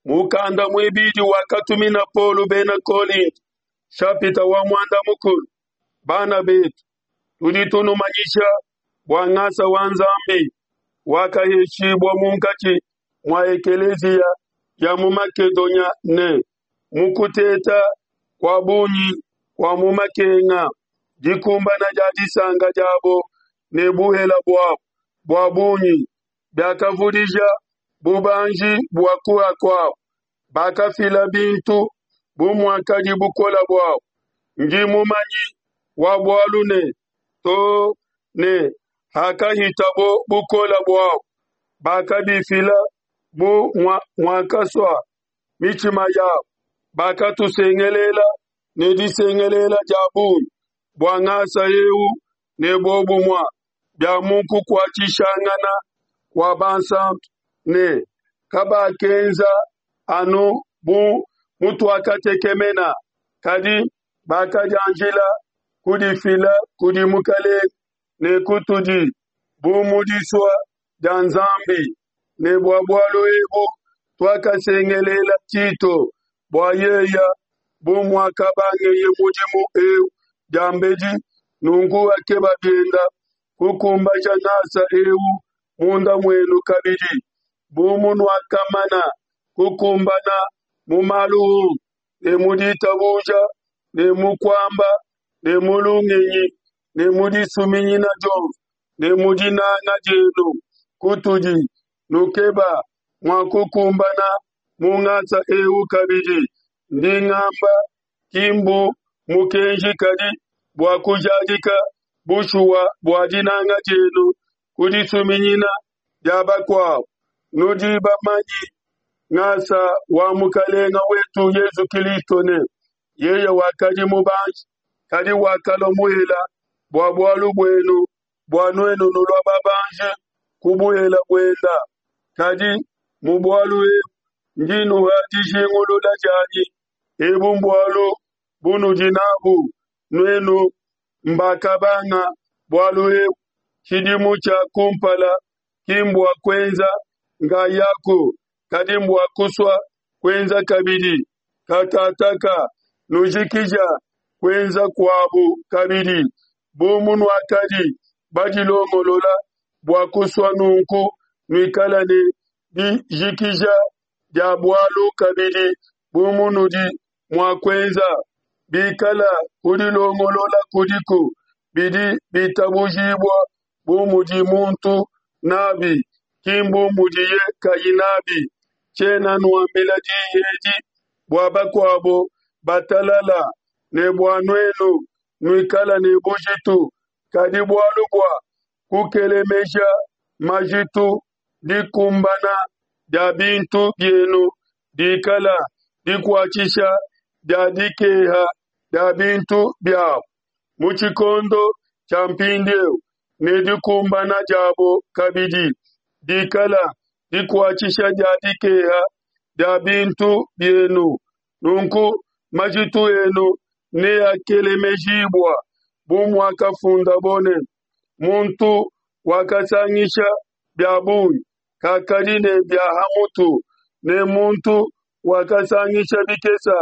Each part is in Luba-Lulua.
Mukanda muibidi wakatumina Paulo bena Kolinto, shapita wa muanda mukulu. Bana betu, tudi tunumanyisha bua ngasa wa Nzambi wakaheshibua munkatshi mua ekeleziya ya mu Makedonia ne mu kuteta kua bungi kua mu makenga, dikumbana dia disanka diabo ne buhela buabo bua bungi biakavudija bubanji bua kuha kuabo. Bakafila bintu bu muakadi bukole buabo. Ndi mumanyi wa bualu ne, too ne hakahitabo bukole buabo, bakabifila bu muakasua mitshima yabo. Bakatusengelela ne disengelela dia bungi bua ngasa eu ne buobumue bia mu kukuatshishangana kua bansantu, ne kabakenza anu bu mutuakatekemena, kadi bakadianjila kudifila kudi Mukelenge ne kutudi bu mu disua dia Nzambi. Ne bua bualu ebu tuakasengelela Tito bua yeya, bu muakabangeye mudimu eu diambedi, nunku akeba bienda kukumbaja ngasa eu munda muenu kabidi, bu munuakamana kukumbana mu malu onso, ne mu ditabuja, ne mu kuamba, ne mu lungenyi, ne mu disuminyina dionso, ne mu dinanga dienu kutudi, nukeba mua kukumbana mu ngasa eu kabidi. Ndi ngamba, ki mbu mukenji, kadi bua kujadika bushuwa bua dinanga dienu ku disuminyina dia bakuabu. Nudi bamanyi ngasa wa Mukalenga wetu Yezu Kilisto ne, yeye wakadi mubanji, kadi wakalua muhela bua bualu buenu, bua nuenu nulua babanji ku buhela buenda. Kadi mu bualu ebu ndi nuha dijingulula dianyi, ebu mbualu bunudi nabu nuenu mbakabanga bualu ebu tshidimu tshia kumpala, ki mbua kuenza nkayaku, kadi mbua kusua kuenza kabidi. Katataka nujikija kuenza kuabu kabidi, bu munuakadi badilongolola bua kusua nunku nuikala ne dijikija dia bualu kabidi bu munudi mua kuenza. Bikala kudilongolola kudiku, bidi bitabujibua bu mudi muntu nabi, ki mbu mudiye kayi nabi. Tshiena nuambila diyi edi bua bakuabo batalala ne bua nuenu nuikala ne bujitu, kadi bualu bua kukelemeja majitu, dikumbana dia bintu bienu dikala dikuatshisha dia dikeha dia bintu biabo mu tshikondo tshia mpindieu, ne dikumbana diabo kabidi dikala dikuatshisha dia dikeha dia bintu bienu. Nunku majitu enu neakelemejibua, bu muakafundabo ne, Muntu wakasangisha bia bungi kakadi ne bia ha mutu, ne muntu wakasangisha bikesa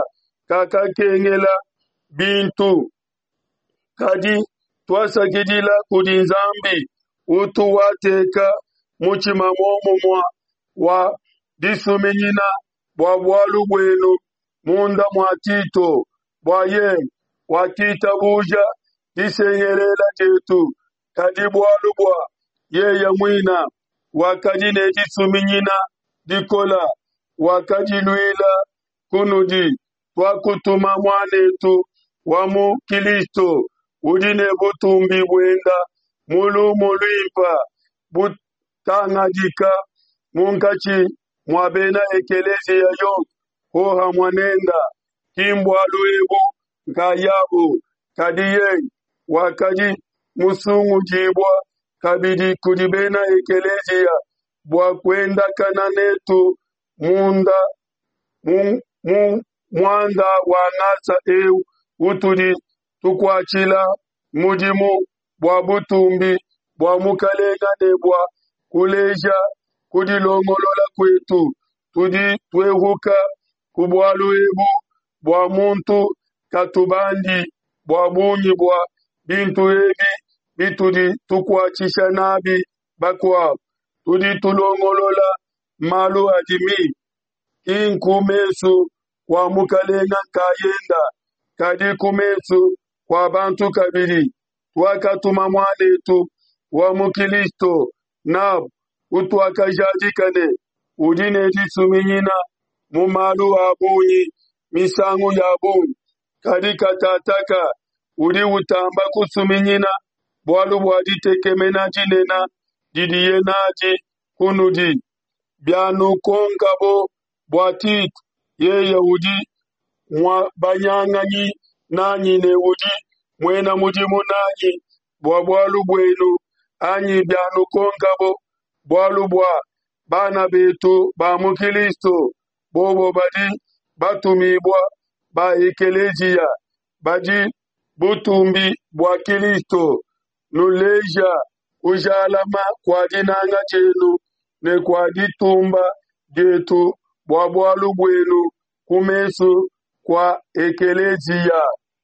kakakengela bintu. Kadi tuasakidila kudi Nzambi utu wateka mutshima muomumue wa disuminyina bua bualu buenu munda mua Tito, bua yeye wakitabuja disengelela dietu, kadi bualu bua yeye muina wakadi ne disuminyina dikola, wakadiluila kunudi. Tuakutuma muanetu wa mu Kilisto udi ne butumbi buenda mu lumu luimpa butangadika munkatshi mua bena ekeleziya yonso hohamua nenda. Ki mbualu ebu nkayabu, kadi yeye wakadi musungudibua kabidi kudi bena ekeleziya bua kuendakana netu munda mu, mu muanda wa ngasa eu utudi tukuatshila mudimu bua butumbi bua Mukalenga ne bua kuleja kudilongolola kuetu. Tudi tuehuka ku bualu ebu bua muntu katubandi bua bungi bua bintu ebi bitudi tukuatshisha nabi bakuabu. Tudi tulongolola malu adi mimpe, ki nku mesu kua Mukalenga nkayenda, kadi ku mesu kua bantu kabidi. Tuakatuma muanetu wa mu Kilisto nabu, utuakajadika ne, udi ne disuminyina mu malu a bungi misangu ya bungi, kadi katataka udi utamba kusuminyina bualu bua ditekemena dinene didiye nadi kunudi. Bianukonkabo bua Tito, yeye udi muabanyanganyi nanyi ne udi muena mudimu nanyi bua bualu buenu, anyi bianukonkabo bualu bua bana betu ba mu Kilisto, bobo badi batumibua ba ekeleziya, badi butumbi bua Kilisto, nuleja kujalama kua dinanga dienu ne kua ditumba dietu bua bualu buenu ku mesu kua ekeleziya.